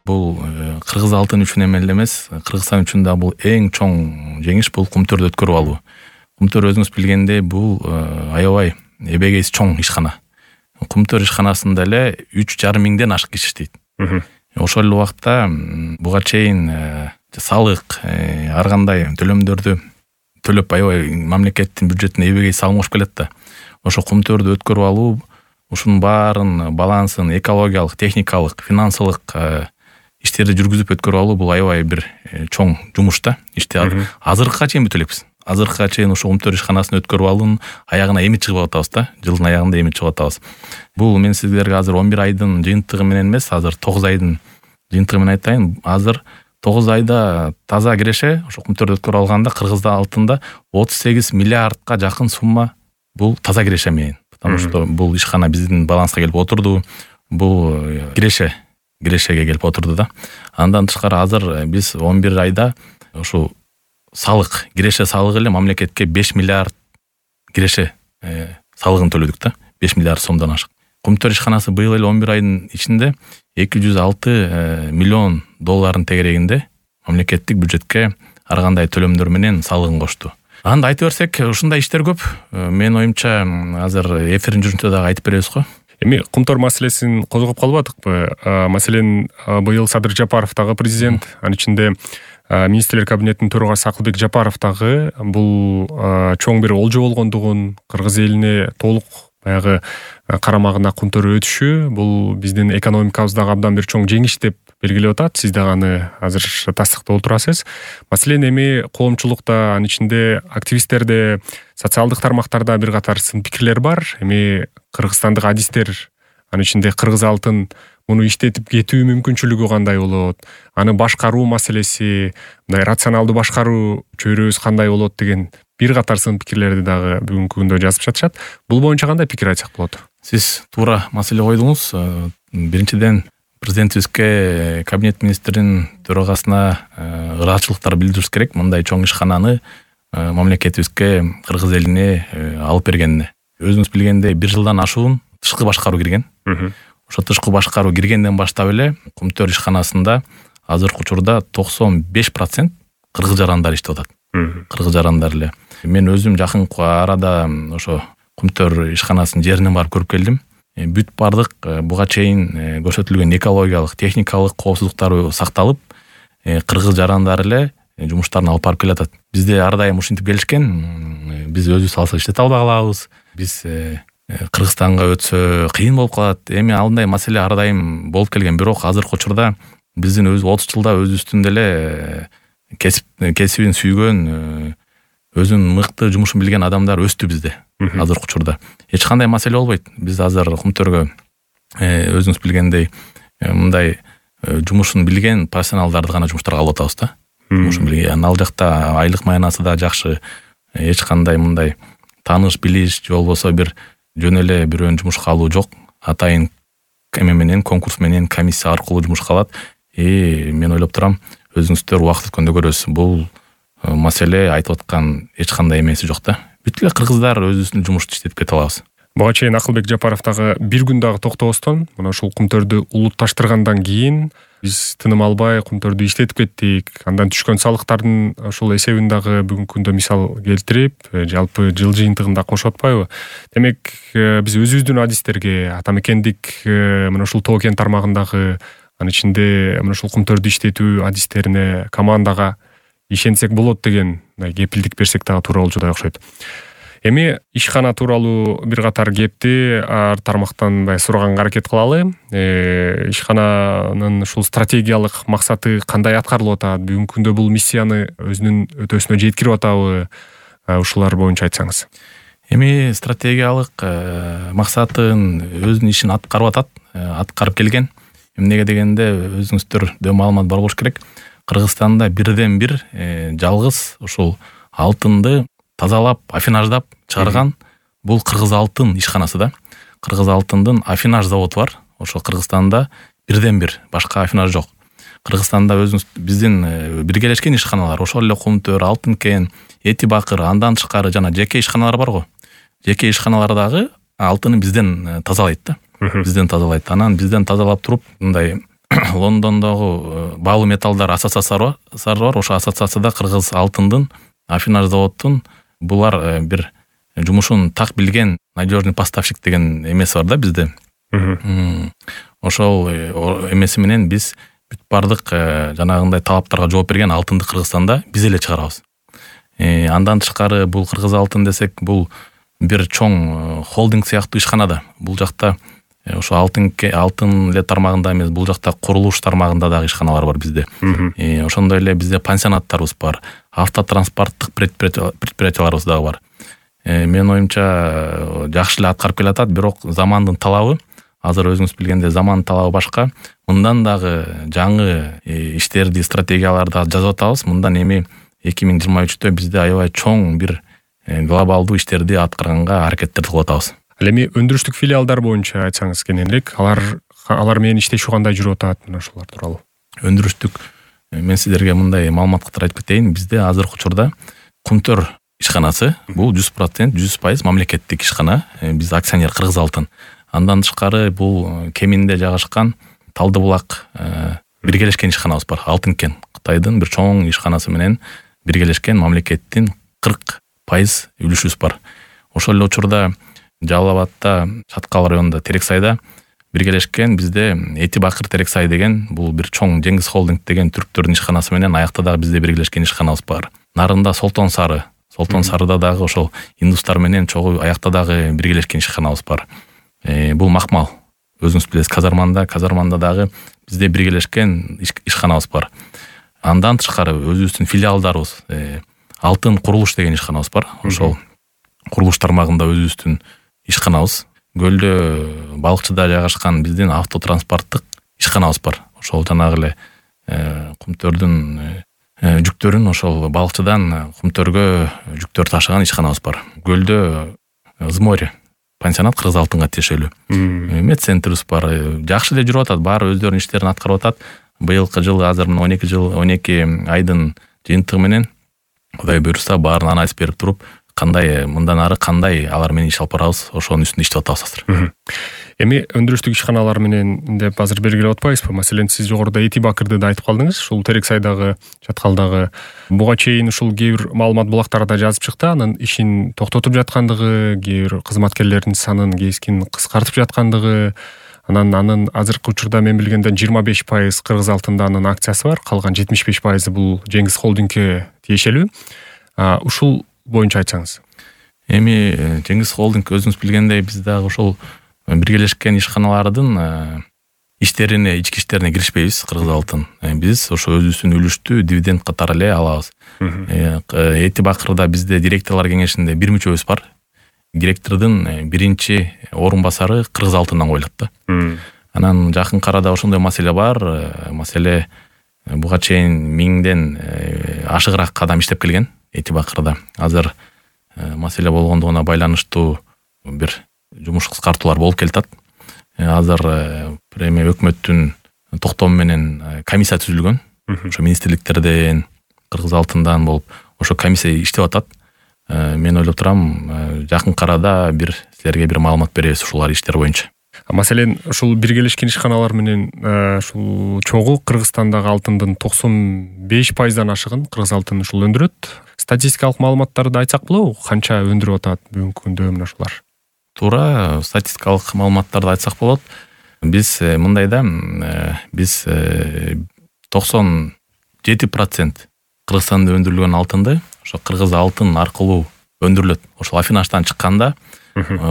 Бул кыргыз алтын үчүн эмес, Кыргызстан үчүн да бул эң чоң жеңиш, бул Кумтөрдү өткөрүп алуу. Кумтөр өзүңүз билгендей бул аябай эбегейси чоң ишкана. Кумтөр ишканасында эле 3,5 миңден ашык киши иштейт. Ошол эле убакта буга чейин салык, ар кандай төлөмдөрдү төлөп аябай мамлекеттин бюджетине эбегейси салым кошуп келет да. Ошо Кумтөрдү өткөрүп алуу, ушунун баарын балансын экологиялык, техникалык, финансылык иштерди жүргүзүп өткөрүп алуу бул аябай бир чоң жумуш да. Ишти азыркыга чейин бүтө элекпиз. Азыркыга чейин ошо Кумтөр ишканасын өткөрүп алуунун аягына эми чыгып атабыз да. Жылдын аягында эми чыгып атабыз. Бул мен сиздерге азыр 11 айдын жыйынтыгы менен эмес, азыр 9 айдын жыйынтыгы менен айтайын. Азыр 9 айда таза киреше ошо Кумтөрдү өткөрүп алганда Кыргызда алтында 38 миллиардка жакын сумма бул таза киреше менен. Потому что бул ишкана биздин баланска келип отурду. Бул кирешеге келип отурду да. Андан тышкары азыр биз 11 айда ошо салык, киреше салыгы эле мамлекетке 5 миллиард киреше салыгын төлөдүк да. 5 миллиард сомдон ашык. Кумтөр ишканасы быйыл эле 11 айдын ичинде 206 миллион долларын тегерегинде мамлекеттик бюджетке ар кандай төлөмдөр менен салыгын кошту. Анда айтып берсек, ушундай иштер көп. Мен оюмча азыр эфирдин жүрүшүндө дагы айтып беребиз го. Эми Кумтөр маселесин козгоп калбадыкпы? Маселен, быйыл Садыр Жапаров дагы президент, анын ичинде министрлер кабинетинин төрагасы Акылбек Жапаров дагы бул чоң бир олжо болгондугун, кыргыз элине толук баягы карамагына Кумтөр өтүшү бул биздин экономикабыздагы абдан бир чоң жеңиш деп белгилеп атат. Сиз дагы аны азыр тастыктап отурасыз. Маселен, эми коомчулукта, анын ичинде активисттерде, социалдык тармактарда бир катар сын пикирлер бар. Эми кыргызстандык адистер, анын ичинде кыргыз алтын муну иштетип кетүү мүмкүнчүлүгү кандай болот, аны башкаруу маселеси, мындай рационалдуу башкаруу чөйрөбүз кандай болот деген бир катар сын пикирлерди дагы бүгүнкү күндө жазып жатышат. Бул боюнча кандай пикир айтсак болот? Сиз туура маселе койдуңуз. Биринчиден президентибизге, кабинет министринин төрагасына ыраазычылыктар билдирибиз керек. Мындай чоң ишкананы мамлекетибизге, кыргыз элине алып бергенине. Өзүңүз билгендей, 1 жылдан ашуун тышкы башкаруу кирген. Ошо тышкы башкаруу киргенден баштап эле Кумтөр ишканасында азыркы учурда 95% кыргыз жарандар иштеп атат. Кыргыз жарандар эле. Мен өзүм жакынкы арада ошо Кумтөр ишканасынын жерине барып көрүп келдим. Бүт бардык буга чейин көрсөтүлгөн экологиялык, техникалык коопсуздуктар сакталып, кыргыз жарандар эле жумуштарын алып барып келатат. Бизде ар дайым ушинтип келишкен. Биз өзүбүз алсак иштете албай калабыз. Биз Кыргызстанга өтсө кыйын болуп калат. Эми андай маселе ар дайым болуп келген. Бирок азыркы учурда биздин 30 жылда өзүбүздүн эле кесибин сүйгөн, өзүнүн мыкты жумушун билген адамдар өстү бизде. Азыркы учурда эч кандай маселе болбойт. Биз азыр Кумтөргө өзүңүз билгендей мындай жумушун билген профессионалдарды гана жумуштарга алып атабыз да. Жумушун билген. Ал жакта айлык маянасы да жакшы. Эч кандай мындай тааныш, билиш же болбосо бир жөн эле бирөөнү жумушка алуу жок. Атайын эме менен, конкурс менен, комиссия аркылуу жумушка алат. Мен ойлоп турам, өзүңүздөр убакыт өткөндө көрөсүз. Бул маселе айтып аткан эч кандай эмеси жок да. Бүт эле кыргыздар өзүбүздүн жумушту иштетип кете алабыз. Буга чейин Акылбек Жапаров дагы бир күн дагы токтобостон, мына ушул Кумтөрдү улутташтыргандан кийин биз тыным албай Кумтөрдү иштетип кеттик. Андан түшкөн салыктардын ошол эсебин дагы бүгүнкү күндө мисал келтирип, жалпы жыл жыйынтыгында кошуп атпайбы? Демек, биз өзүбүздүн адистерге, атамекендик мына ушул Тоо кен тармагындагы, анын ичинде мына ушул Кумтөрдү иштетүү адистерине, командага ишенсек болот деген кепилдик берсек дагы туура болчудай окшойт. Эми ишкана тууралуу бир катар кепти ар тармактан сураганга аракет кылалы. Ишкананын ушул стратегиялык максаты кандай аткарылып атат? Бүгүнкү күндө бул миссияны өзүнүн өтөөсүнө жеткирип атабы? Ушулар боюнча айтсаңыз. Эми стратегиялык максатын өзүнүн ишин аткарып атат, аткарып келген. Эмнеге дегенде өзүңүздөр маалымат бар болуш керек. Кыргызстанда бирден бир жалгыз ушул алтынды тазалап, афинаждап чыгарган бул кыргыз алтын ишканасы да. Кыргыз алтындын афинаж заводу бар. Ошо Кыргызстанда бирден бир, башка афинаж жок. Кыргызстанда өзүбүз биздин биргелешкен ишканалар, ошол эле Кумтөр, Алтын кен, Эти Бакыр, андан тышкары жана жеке ишканалар бар го. Жеке ишканалардагы алтыны бизден тазалайт да. Бизден тазалайт. Анан бизден тазалап туруп, мындай Лондондогу баалуу металлдар ассоциациясы бар. Ошо ассоциацияда кыргыз алтындын, Афинаж заводдун булар бир жумушун так билген надежный поставщик деген эмеси бар да бизде. Ошол эмеси менен биз бүт бардык жанагындай талаптарга жооп берген алтынды Кыргызстанда биз эле чыгарабыз. Андан тышкары бул Кыргыз алтын десек, бул бир чоң холдинг сыяктуу ишканада. Бул жакта ошо алтын эле тармагында эмес, бул жакта курулуш тармагында дагы ишканалар бар бизде. Ошондой эле бизде пансионаттарыбыз бар, автотранспорттук предприятияларыбыз дагы бар. Менин оюмча жакшы эле аткарып келатат, бирок замандын талабы, азыр өзүңүз билгендей замандын талабы башка. Мындан дагы жаңы иштерди, стратегияларды жазып атабыз. Мындан эми 2023-тө бизде аябай чоң бир глобалдуу иштерди аткарганга аракеттерди кылып атабыз. Ал эми өндүрүштүк филиалдар боюнча айтсаңыз кененирээк, алар менен иштешүү кандай жүрүп атат, мына ошолор тууралуу. Өндүрүштүк, мен сиздерге мындай маалымат катары айтып кетейин. Бизде азыркы учурда Кумтөр ишканасы, бул 100%, 100% мамлекеттик ишкана. Биз акционер Кыргыз алтын. Андан тышкары бул Кеминде жайгашкан Талдыбулак биргелешкен ишканабыз бар. Алтынкен Кытайдын бир чоң ишканасы менен биргелешкен мамлекеттин 40% үлүшүбүз бар. Ошол эле учурда Жалал Абадта, Чаткал районунда Терексайда биргелешкен бизде Эти Бакыр Терексай деген бул бир чоң Жеңиз холдинг деген түрктөрдүн ишканасы менен аякта дагы бизде биргелешкен ишканабыз бар. Нарында Солтон Сарыда дагы ошол индустар менен чогуу аякта дагы биргелешкен ишканабыз бар. Бул Макмал, өзүңүз билесиз, казарманда дагы бизде биргелешкен ишканабыз бар. Андан тышкары өзүбүздүн филиалдарыбыз, Алтын Курулуш деген ишканабыз бар. Ошол курулуш тармагында өзүбүздүн ишканабыз. Гөлдө Балыкчыда жайгашкан биздин автотранспорттук ишканабыз бар. Ошол жанагы эле Кумтөрдүн жүктөрүн ошол Балыкчыдан Кумтөргө жүктөр ташыган ишканабыз бар. Гөлдө Зморе пансионат Кыргыз алтынга тиешелүү. Медцентрибиз бар. Жакшы эле жүрүп атат, баары өздөрүнүн иштерин аткарып атат. Быйылкы жылы азыр 12 айдын жыйынтыгы менен Кудай буйрса баарын анализ берип туруп, кандай мындан ары кандай алар менен иш алып барабыз, ошонун үстүндө иштеп атабыз азыр. Эми өндүрүштүк ишканалар менен деп азыр белгилеп атпайбызбы? Маселен, сиз жогоруда Эти Бакырды да айтып калдыңыз. Ушул Терексайдагы, Чаткалдагы буга чейин ушул кээ бир маалымат булактарда жазып чыкты, анын ишин токтотуп жаткандыгы, кээ бир кызматкерлердин санын кескин кыскартып жаткандыгы, анын азыркы учурда мен билгенден 25% Кыргыз алтында анын акциясы бар, калган 75% бул Жеңиз холдингке тиешелүү. Ушул боюнча айтсаңыз. Эми Жеңиз холдинг өзүңүз билгендей биз дагы ошол биргелешкен ишканалардын иштерине, ички иштерине киришпейбиз. Кыргыз алтын биз ошо өзүбүздүн үлүштү дивиденд катары эле алабыз. Эти Бакырда бизде директорлор кеңешинде бир мүчөбүз бар. Директордун биринчи орун басары Кыргыз алтындан коюлат да. Анан жакынкы арада ошондой маселе бар. Маселе буга чейин 1000ден ашыгыраак адам иштеп келген Эти Бакырда. Азыр маселе болгондугуна байланыштуу бир жумуш кыскартуулар болуп келатат. Азыр эми өкмөттүн токтому менен комиссия түзүлгөн. Ошо министрликтерден, Кыргыз алтындан болуп ошо комиссия иштеп атат. Мен ойлоп турам, жакынкы арада бир силерге бир маалымат беребиз ушулар иштер боюнча. Маселен, ушул биргелешкен ишканалар менен ушул чогуу Кыргызстандагы алтындын 95%дан ашыгын Кыргыз алтын ушул өндүрөт. Статистикалык маалыматтарды айтсак болобу? Канча өндүрүп атат бүгүнкү күндө мына ушулар? Туура статистикалык маалыматтарды айтсак болот. Биз мындай да, биз 97% Кыргызстанда өндүрүлгөн алтынды ошо Кыргыз алтын аркылуу өндүрүлөт. Ошол Афинаштан чыкканда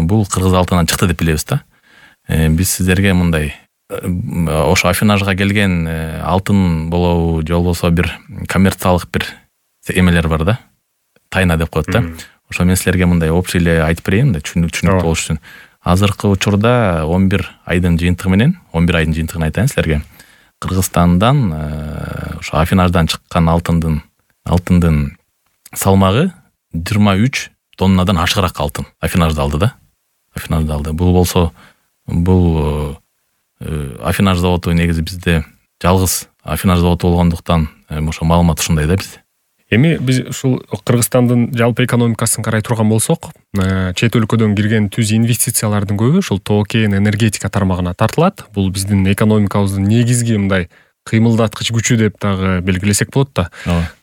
бул Кыргыз алтындан чыкты деп билебиз да. Биз сиздерге мындай ошо Афинажга келген алтын болобу же болбосо бир коммерциялык бир эмелер бар да. Тайна деп коет да. Ошо мен силерге мындай общий эле айтып берейин да, түшүнүктүү болуш үчүн. Азыркы учурда 11 айдын жыйынтыгын айтайын силерге. Кыргызстандан ошо Афинаждан чыккан алтындын салмагы 23 тоннадан ашыгыраак алтын Афинажда алды да. Бул болсо Афинаж заводу негизи бизде жалгыз Афинаж заводу болгондуктан ошо маалымат ушундай да бизде. Эми биз ушул Кыргызстандын жалпы экономикасын карай турган болсок, чет өлкөдөн кирген түз инвестициялардын көбү ушул тоо-кен энергетика тармагына тартылат. Бул биздин экономикабыздын негизги мындай кыймылдаткыч күчү деп дагы белгилесек болот да.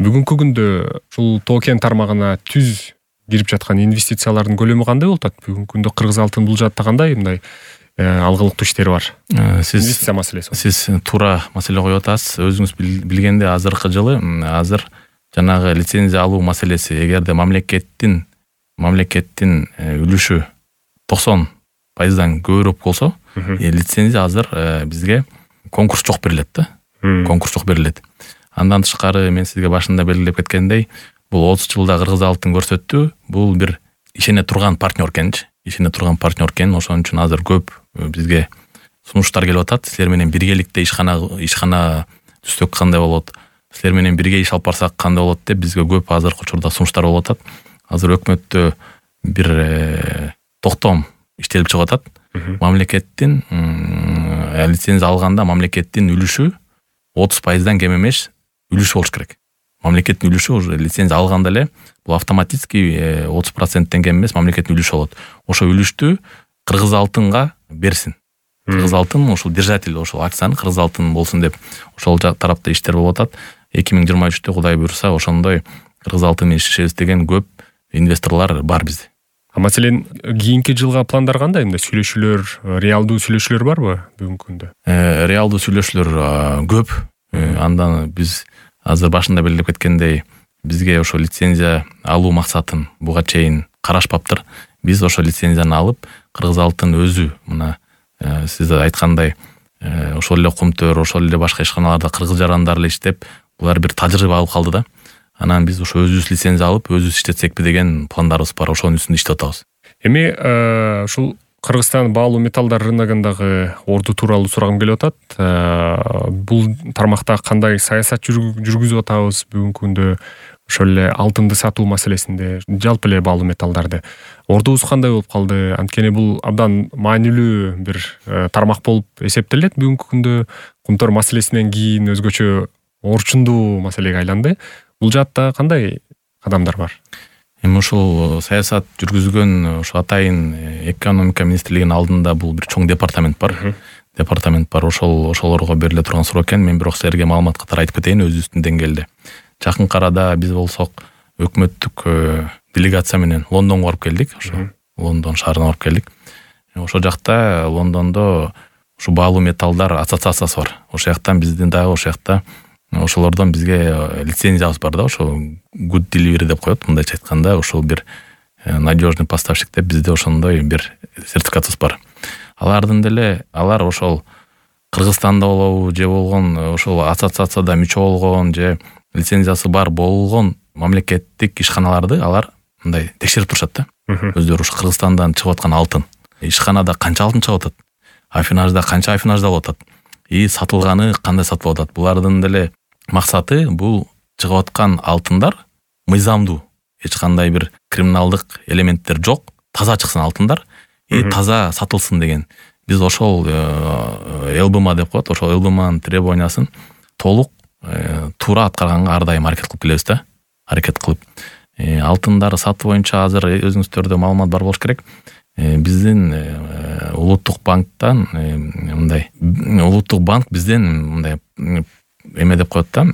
Бүгүнкү күндө ушул тоо-кен тармагына түз кирип жаткан инвестициялардын көлөмү кандай болуп атат? Бүгүнкү күндө Кыргыз алтын бул жаатта кандай мындай алгылыктуу иштери бар? Инвестиция маселеси. Сиз туура маселе коюп атасыз. Өзүңүз билгендей азыркы жылы жанагы лицензия алуу маселеси, эгерде мамлекеттин үлүшү 90% көбүрөөк болсо, лицензия азыр бизге конкурс жок берилет да. Конкурс жок берилет. Андан тышкары мен сизге башында белгилеп кеткендей, бул 30 жылда Кыргыз алтын көрсөттү. Бул бир ишене турган партнер экенчи. Ошон үчүн азыр көп бизге сунуштар келип атат. Силер менен биргеликте ишкана түзсөк кандай болот? Силер менен бирге иш алып барсак кандай болот деп бизге көп азыркы учурда сунуштар болуп атат. Азыр өкмөттө бир токтом иштелип чыгып атат. Мамлекеттин лицензия алганда мамлекеттин үлүшү 30%дан кем эмес үлүшү болуш керек. Мамлекеттин үлүшү уже лицензия алганда эле бул автоматически 30%тен кем эмес мамлекеттин үлүшү болот. Ошо үлүштү Кыргыз алтынга берсин. Кыргыз алтын ошол держатель, ошол акцияны Кыргыз алтын болсун деп ошол тарапта иштер болуп атат. 2023-тө Кудай буйруса ошондой Кыргыз алтын менен иштешебиз деген көп инвесторлор бар бизде. Маселен, кийинки жылга пландар кандай? Мындай сүйлөшүүлөр, реалдуу сүйлөшүүлөр барбы бүгүнкү күндө? Реалдуу сүйлөшүүлөр көп. Андан биз азыр башында белгилеп кеткендей, бизге ошо лицензия алуу максатын буга чейин карашпаптыр. Биз ошо лицензияны алып, Кыргыз алтын өзү мына сиз айткандай ошол эле Кумтөр, ошол эле башка ишканаларда кыргыз жарандар эле иштеп, булар бир тажрыйба алып калды да. Анан биз ошо өзүбүз лицензия алып, өзүбүз иштетсекпи деген пландарыбыз бар. Ошонун үстүндө иштеп атабыз. Эми ушул Кыргызстан баалуу металлдар рыногундагы орду тууралуу сурагым келип атат. Бул тармакта кандай саясат жүргүзүп атабыз бүгүнкү күндө? Ошол эле алтынды сатуу маселесинде, жалпы эле баалуу металлдарды. Ордубуз кандай болуп калды? Анткени бул абдан маанилүү бир тармак болуп эсептелет бүгүнкү күндө. Кумтөр маселесинен кийин өзгөчө орчундуу маселеге айланды. Бул жаатта кандай кадамдар бар? Эми ушул саясат жүргүзгөн ошо атайын экономика министрлигинин алдында бул бир чоң департамент бар. Ошолорго бериле турган суроо экен. Мен бирок силерге маалымат катары айтып кетейин өзүбүздүн деңгээлде. Жакынкы арада биз болсок өкмөттүк делегация менен Лондонго барып келдик. Ошо Лондон шаарына барып келдик. Ошо жакта Лондондо ушу баалуу металлдар ассоциациясы бар. Ошол жактан биздин дагы ошол жакта ошолордон бизге лицензиябыз бар да, ошо good delivery деп коет, мындайча айтканда, ошол бир надежный поставщик деп бизде ошондой бир сертификатыбыз бар. Алар ошол Кыргызстанда болобу же болгон ошол ассоциацияда мүчө болгон же лицензиясы бар болгон мамлекеттик ишканаларды алар мындай текшерип турушат да. Өздөрү ушу Кыргызстандан чыгып аткан алтын, ишканада канча алтын чыгып атат, афинажда канча афинажда болуп атат, сатылганы кандай сатылып атат. Булардын деле максаты бул чыгып аткан алтындар мыйзамдуу, эч кандай бир криминалдык элементтер жок, таза чыксын алтындар, таза сатылсын деген. Биз ошол ЛБМ деп коет, ошол ЛБМнын требованиясын толук туура аткарганга ар дайым аракет кылып келебиз да. Аракет кылып. Алтындарды сатуу боюнча азыр өзүңүздөрдө маалымат бар болуш керек. Биздин улуттук банктан улуттук банк бизден мындай эме деп коет да.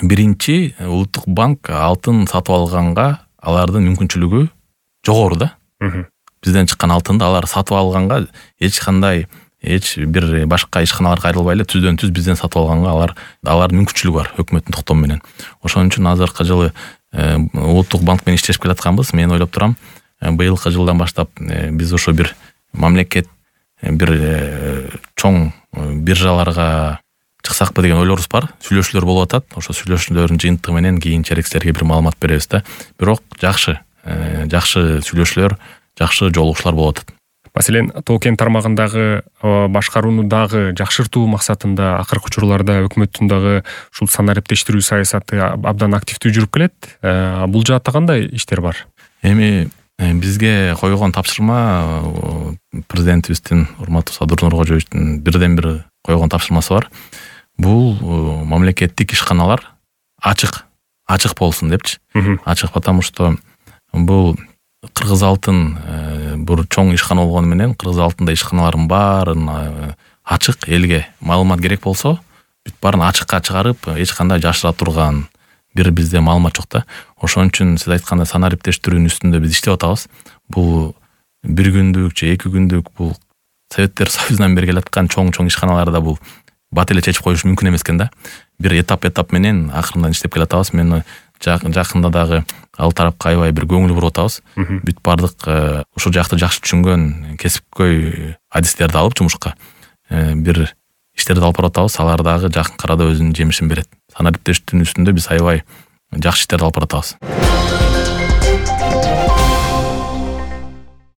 Биринчи улуттук банк алтын сатып алганга алардын мүмкүнчүлүгү жогору да. Бизден чыккан алтынды алар сатып алганга эч бир башка ишканаларга кайрылбай эле түздөн түз бизден сатып алганга алардын мүмкүнчүлүгү бар өкмөттүн токтому менен. Ошон үчүн азыркы жылы улуттук банк менен иштешип келатканбыз. Мен ойлоп турам, быйылкы жылдан баштап биз ошо бир мамлекет бир чоң биржаларга чыксакпы деген ойлорубуз бар. Сүйлөшүүлөр болуп атат. Ошо сүйлөшүүлөрдүн жыйынтыгы менен кийинчерээк силерге бир маалымат беребиз да. Бирок жакшы сүйлөшүүлөр, жакшы жолугушуулар болуп атат. Маселен, тоо-кен тармагындагы башкарууну дагы жакшыртуу максатында акыркы учурларда өкмөттүн дагы ушул санариптештирүү саясаты абдан активдүү жүрүп келет. Бул жаатта кандай иштер бар? Эми бизге койгон тапшырма президентибиздин урматтуу Садыр Нуркожоевичтин бирден бир койгон тапшырмасы бар. Бул мамлекеттик ишканалар ачык ачык болсун депчи. Ачык, потому что бул Кыргыз алтын бир чоң ишкана болгону менен Кыргыз алтында ишканалардын баарын ачык, элге маалымат керек болсо бүт баарын ачыкка чыгарып, эч кандай жашыра турган бир бизде маалымат жок да. Ошон үчүн сиз айткандай санаа иптештирүүнүн үстүндө биз иштеп атабыз. Бул бир күндүк же 2 күндүк бул Советтер Союзунан бери келаткан чоң ишканаларда бул бат эле чечип коюш мүмкүн эмес экен да. Бир этап менен акырындан иштеп келатабыз. Мен жакында дагы ал тарапка аябай бир көңүл буруп атабыз. Бүт бардык ушул жакты жакшы түшүнгөн кесипкөй адистерди алып жумушка бир иштерди алып баратабыз. Алар дагы жакын арада өзүнүн жемишин берет. Санаа иптештирүүнүн үстүндө биз аябай жакшы иштерди алып баратабыз.